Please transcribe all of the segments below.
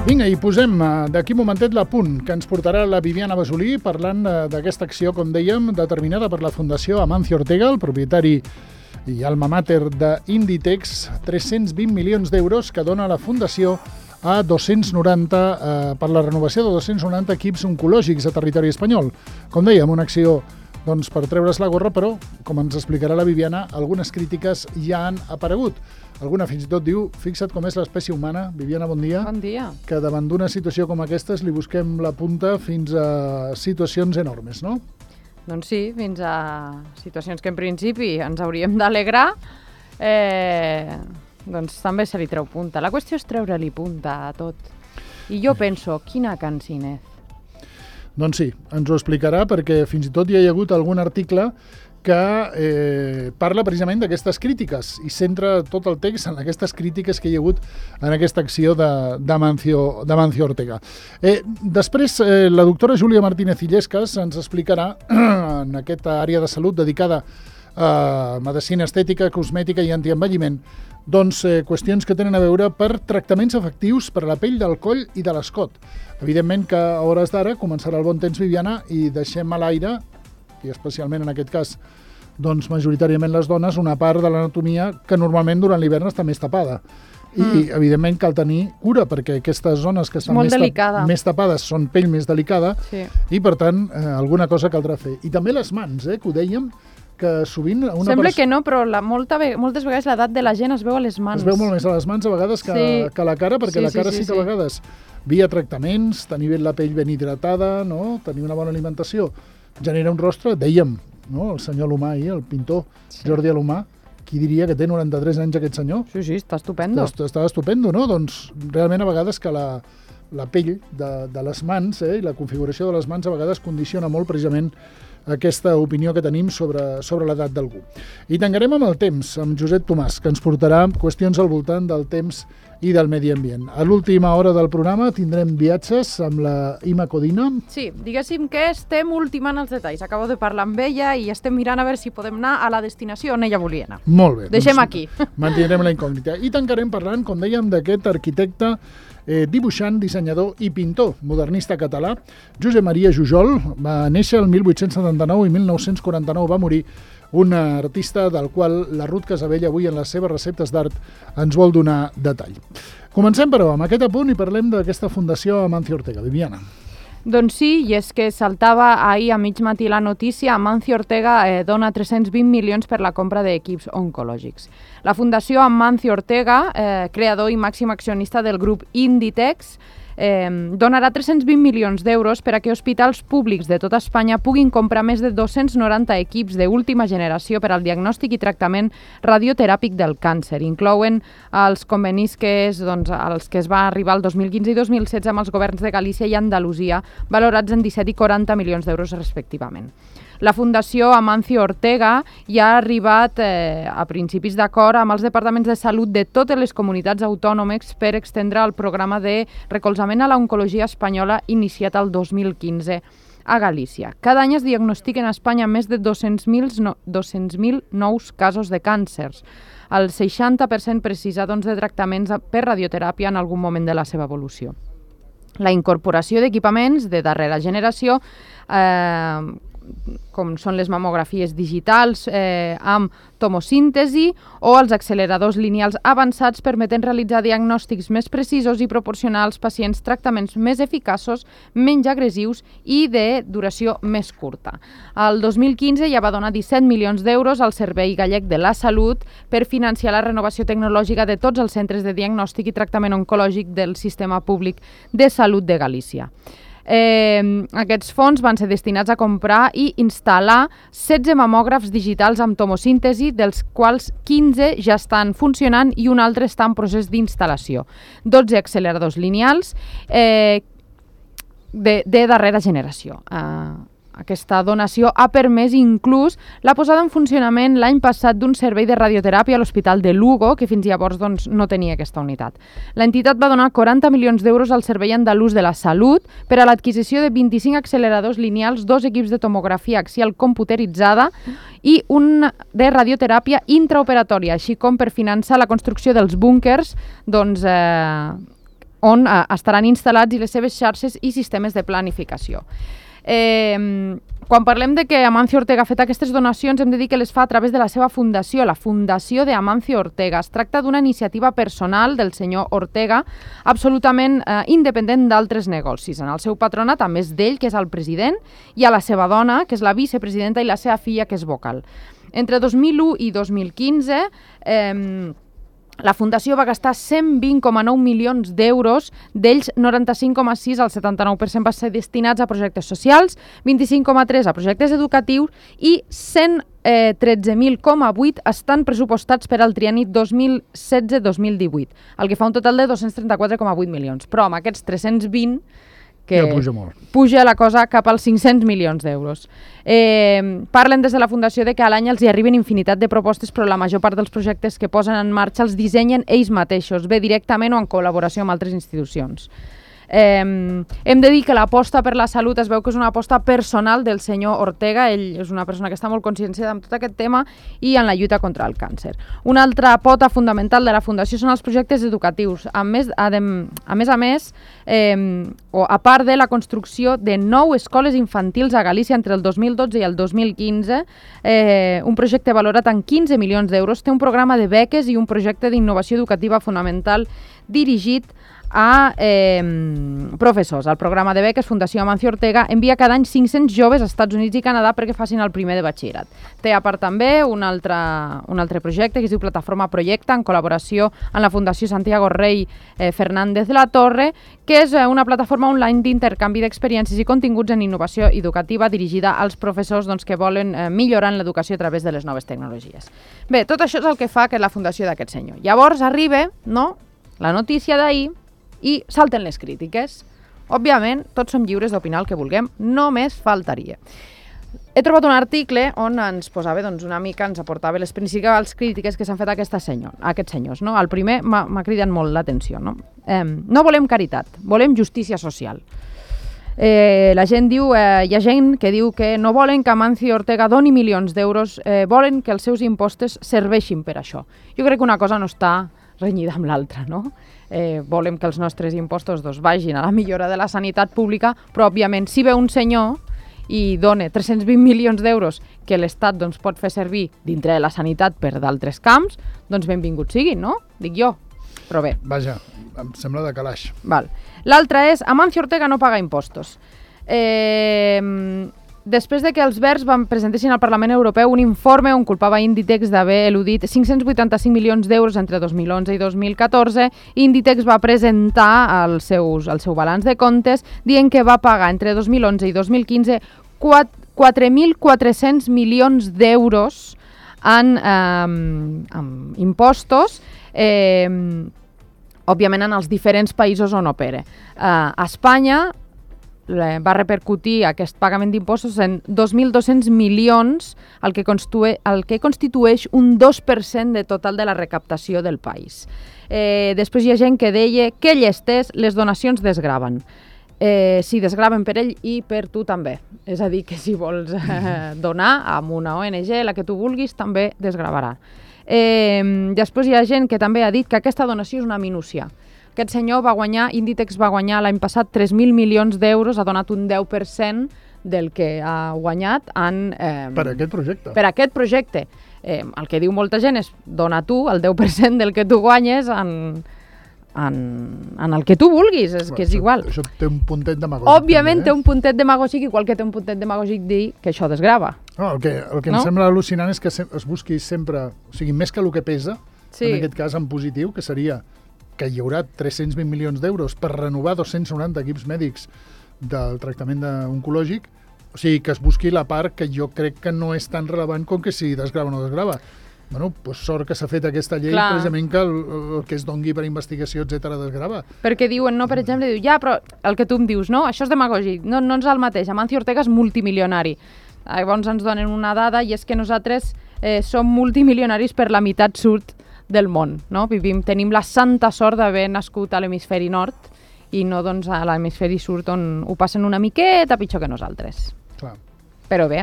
Vinga, i posem d'aquí un momentet l'apunt que ens portarà la Viviana Basolí parlant d'aquesta acció, com dèiem, determinada per la Fundació Amancio Ortega, el propietari i alma mater d'Inditex, 320 milions d'euros que dona la Fundació a 290 per la renovació de 290 equips oncològics a territori espanyol. Com dèiem, una acció per treure's la gorra, però, com ens explicarà la Viviana, algunes crítiques ja han aparegut. Alguna fins i tot diu, fixa't com és l'espècie humana, Viviana, bon dia. Bon dia. Que davant d'una situació com aquestes li busquem la punta fins a situacions enormes, no? Doncs sí, fins a situacions que en principi ens hauríem d'alegrar, doncs també se li treu punta. La qüestió és treure-li punta a tot. I jo penso, quina cansinet. Doncs sí, ens ho explicarà perquè fins i tot hi ha hagut algun article que parla precisament d'aquestes crítiques i centra tot el text en aquestes crítiques que hi ha hagut en aquesta acció d'Amancio Ortega. Després, la doctora Júlia Martínez Illescas ens explicarà en aquesta àrea de salut dedicada a medicina estètica, cosmètica i antienvelliment, doncs qüestions que tenen a veure per tractaments efectius per a la pell del coll i de l'escot. Evidentment que a hores d'ara començarà el bon temps, Viviana, i deixem a l'aire, i especialment en aquest cas, doncs majoritàriament les dones, una part de l'anatomia que normalment durant l'hivern està més tapada. I evidentment cal tenir cura, perquè aquestes zones que estan més tapades són pell més delicada, sí. I per tant alguna cosa caldrà fer. I també les mans, que ho dèiem, que sovint... Sembla que no, però moltes vegades l'edat de la gent es veu a les mans. Es veu molt més a les mans a vegades que a la cara, perquè la cara sí que a vegades, via tractaments, tenir bé la pell ben hidratada, no? Tenir una bona alimentació, genera un rostre, dèiem, no? El senyor Alomà ahir, el pintor Jordi Alomà, qui diria que té 93 anys aquest senyor? Sí, està estupendo. Està estupendo, no? Doncs realment a vegades que la pell de les mans i la configuració de les mans a vegades condiciona molt precisament aquesta opinió que tenim sobre l'edat d'algú. I tancarem amb el temps, amb Josep Tomàs, que ens portarà qüestions al voltant del temps i del medi ambient. A l'última hora del programa tindrem viatges amb la Ima Codina. Sí, diguéssim que estem ultimant els detalls. Acabo de parlar amb ella i estem mirant a veure si podem anar a la destinació on ella volia anar. Molt bé. Deixem aquí. Mantindrem la incògnita. I tancarem parlant, com dèiem, d'aquest arquitecte, dibuixant, dissenyador i pintor modernista català. Josep Maria Jujol va néixer el 1879 i 1949 va morir, un artista del qual la Ruth Casabella avui en les seves receptes d'art ens vol donar detall. Comencem, però, amb aquest apunt i parlem d'aquesta Fundació Amancio Ortega. Viviana. Doncs sí, i és que saltava ahir a mig matí la notícia, Amancio Ortega dona 320 milions per la compra d'equips oncològics. La Fundació Amancio Ortega, creador i màxim accionista del grup Inditex, donarà 320 milions d'euros per a que hospitals públics de tota Espanya puguin comprar més de 290 equips d'última generació per al diagnòstic i tractament radioteràpic del càncer. Inclouen els convenis als que es va arribar el 2015 i 2016 amb els governs de Galícia i Andalusia, valorats en 17 i 40 milions d'euros respectivament. La Fundació Amancio Ortega ja ha arribat a principis d'acord amb els departaments de salut de totes les comunitats autònomes per extendre el programa de recolzament a l'oncologia espanyola iniciat el 2015 a Galícia. Cada any es diagnostiquen a Espanya més de 200.000 nous casos de càncers. El 60% precisa de tractaments per radioteràpia en algun moment de la seva evolució. La incorporació d'equipaments de darrera generació, com són les mamografies digitals amb tomosíntesi o els acceleradors lineals avançats permeten realitzar diagnòstics més precisos i proporcionar als pacients tractaments més eficaços, menys agressius i de duració més curta. El 2015 ja va donar 17 milions d'euros al Servei Gallec de la Salut per financiar la renovació tecnològica de tots els centres de diagnòstic i tractament oncològic del Sistema Públic de Salut de Galícia. Aquests fons van ser destinats a comprar i instal·lar 16 mamògrafs digitals amb tomosíntesi, dels quals 15 ja estan funcionant i un altre està en procés d'instal·lació. 12 acceleradors lineals de darrera generació. Aquesta donació ha permès inclús la posada en funcionament l'any passat d'un servei de radioteràpia a l'Hospital de Lugo, que fins llavors no tenia aquesta unitat. L'entitat va donar 40 milions d'euros al Servei Andalús de la Salut per a l'adquisició de 25 acceleradors lineals, 2 equips de tomografia axial computeritzada i un de radioteràpia intraoperatòria, així com per finançar la construcció dels búnquers on estaran instal·lats i les seves xarxes i sistemes de planificació. Quan parlem de que Amancio Ortega ha fet aquestes donacions, hem de dir que les fa a través de la seva fundació, la Fundació de Amancio Ortega. Es tracta d'una iniciativa personal del senyor Ortega, absolutament independent d'altres negocis. En el seu patronat, a més d'ell, que és el president, i a la seva dona, que és la vicepresidenta, i la seva filla, que és vocal. Entre 2001 i 2015, la Fundació va gastar 120,9 milions d'euros, d'ells 95,6 al 79% va ser destinats a projectes socials, 25,3 a projectes educatius i 113,8 estan pressupostats per al trienni 2016-2018, el que fa un total de 234,8 milions. Però amb aquests 320 que ja puja molt. Puja la cosa cap als 500 milions d'euros. Parlen des de la Fundació de que a l'any els hi arriben infinitat de propostes, però la major part dels projectes que posen en marxa els dissenyen ells mateixos, bé directament o en col·laboració amb altres institucions. Hem de dir que l'aposta per la salut es veu que és una aposta personal del senyor Ortega. Ell és una persona que està molt conscienciada amb tot aquest tema i en la lluita contra el càncer. Una altra pota fundamental de la Fundació són els projectes educatius. A més, a part de la construcció de 9 escoles infantils a Galícia entre el 2012 i el 2015, un projecte valorat en 15 milions d'euros, té un programa de beques i un projecte d'innovació educativa fonamental dirigit a professors. El programa de beques Fundació Amancio Ortega envia cada any 500 joves als Estats Units i Canadà perquè facin el primer de batxillerat. Té a part també un altre projecte que es diu Plataforma Projecta, en col·laboració amb la Fundació Santiago Rey Fernández La Torre, que és una plataforma online d'intercanvi d'experiències i continguts en innovació educativa dirigida als professors que volen millorar en l'educació a través de les noves tecnologies. Bé, tot això és el que fa que la fundació d'aquest senyor. Llavors arriba la notícia d'ahir i salten les crítiques. Òbviament, tots som lliures d'opinar el que vulguem, només faltaria. He trobat un article on ens posava una mica, ens aportava les principals crítiques que s'han fet a aquests senyors. El primer m'ha cridat molt l'atenció. No volem caritat, volem justícia social. La gent diu, hi ha gent que diu que no volen que Amancio Ortega doni milions d'euros, volen que els seus impostos serveixin per això. Jo crec que una cosa no està renyida amb l'altra, no? Volem que els nostres impostos vagin a la millora de la sanitat pública, però òbviament si ve un senyor i dona 320 milions d'euros que l'Estat pot fer servir dintre de la sanitat per d'altres camps, benvingut siguin, no? Dic jo, però bé. Vaja, em sembla de calaix. L'altre és Amancio Ortega no paga impostos. Després de que els Verds presentessin al Parlament Europeu un informe on culpava Inditex d'haver eludit 585 milions d'euros entre 2011 i 2014, Inditex va presentar el seu balanç de comptes dient que va pagar entre 2011 i 2015 4.400 milions d'euros en impostos, òbviament en els diferents països on opera. A Espanya va repercutir aquest pagament d'impostos en 2.200 milions, el que constitueix un 2% de total de la recaptació del país. Després hi ha gent que deia que llestés, les donacions desgraven. Sí, desgraven per ell i per tu també. És a dir, que si vols donar a una ONG, la que tu vulguis, també desgravarà. Després hi ha gent que també ha dit que aquesta donació és una minúcia. Aquest senyor Inditex va guanyar l'any passat 3.000 milions d'euros, ha donat un 10% del que ha guanyat per aquest projecte. Per aquest projecte. El que diu molta gent és dona tu el 10% del que tu guanyes en el que tu vulguis, que és igual. Això té un puntet demagògic. Òbviament té un puntet demagògic, igual que té un puntet demagògic dir que això desgrava. El que em sembla al·lucinant és que es busqui sempre, o sigui, més que el que pesa, en aquest cas en positiu, que seria que hi haurà 320 milions d'euros per renovar 290 equips mèdics del tractament oncològic, o sigui, que es busqui la part que jo crec que no és tan rellevant com que si desgrava o no desgrava. Bueno, doncs sort que s'ha fet aquesta llei, precisament que el que es dongui per investigació, etc., desgrava. Perquè diuen, per exemple, però el que tu em dius, no, això és demagògic, no és el mateix, Amancio Ortega és multimilionari. Llavors ens donen una dada i és que nosaltres som multimilionaris per la meitat sud del món, no? Tenim la santa sort d'haver nascut a l'hemisferi nord i no a l'hemisferi sud on ho passen una miqueta pitjor que nosaltres. Clar. Però bé,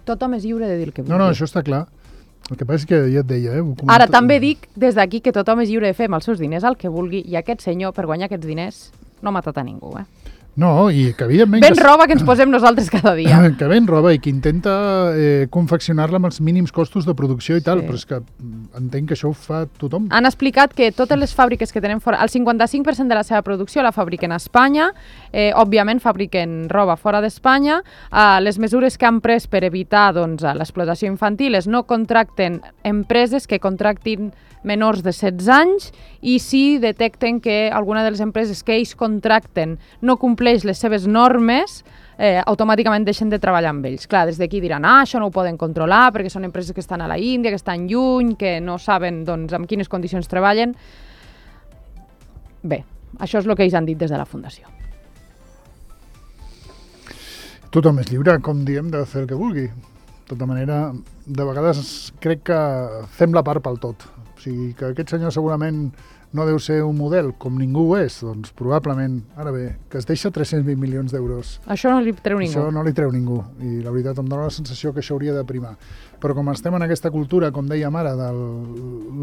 tothom és lliure de dir el que vulgui. No, això està clar. El que passa és que ja et deia... Ara també dic des d'aquí que tothom és lliure de fer amb els seus diners el que vulgui i aquest senyor, per guanyar aquests diners, no ha matat a ningú, No, i que evidentment... Ben roba que ens posem nosaltres cada dia. Que ben roba i que intenta confeccionar-la amb els mínims costos de producció i tal, però és que entenc que això ho fa tothom. Han explicat que totes les fàbriques que tenen fora, el 55% de la seva producció la fabriquen a Espanya, òbviament fabriquen roba fora d'Espanya, les mesures que han pres per evitar l'explotació infantil és no contracten empreses que contractin menors de 16 anys i si detecten que alguna de les empreses que ells contracten no compleix les seves normes, automàticament deixen de treballar amb ells. Clar, des d'aquí diran, això no ho poden controlar perquè són empreses que estan a la Índia, que estan lluny, que no saben amb quines condicions treballen. Bé, això és el que ells han dit des de la Fundació. Tothom és lliure, com diem, de fer el que vulgui. De tota manera, de vegades crec que fem la part pel tot. O sigui, que aquest senyor segurament no deu ser un model, com ningú ho és, doncs probablement, ara bé, que es deixa 320 milions d'euros. Això no li treu ningú. Això no li treu ningú, i la veritat em dóna la sensació que això hauria de primar. Però com estem en aquesta cultura, com dèiem ara, de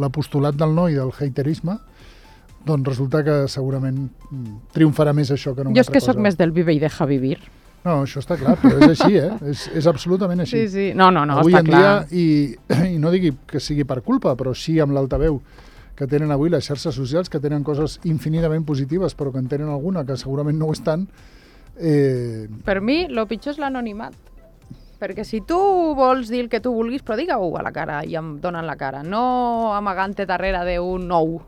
l'apostolat del no i del haterisme, doncs resulta que segurament triomfarà més això que no una altra cosa. Jo és que sóc més del vive i deja vivir. No, això està clar, però és així, és absolutament així. Sí. No, avui està clar. Avui en dia, i no digui que sigui per culpa, però sí amb l'altaveu que tenen avui les xarxes socials, que tenen coses infinitament positives, però que en tenen alguna que segurament no ho estan. Per mi, el pitjor és l'anonimat. Perquè si tu vols dir el que tu vulguis, però digue-ho a la cara i em donen la cara. No amagant-te darrere d'un nou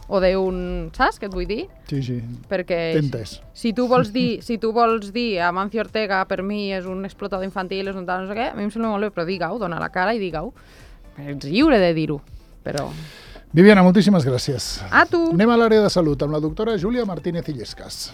o d'un... Saps què et vull dir? Sí. Perquè t'he entès. Si tu vols dir Amancio Ortega per mi és un explotador infantil, és un tal, no sé què, a mi em sembla molt bé, però digue-ho, dona la cara i digue-ho. Ets lliure de dir-ho, però... Viviana, moltíssimes gràcies. A tu! Anem a l'àrea de salut amb la doctora Júlia Martínez Illescas.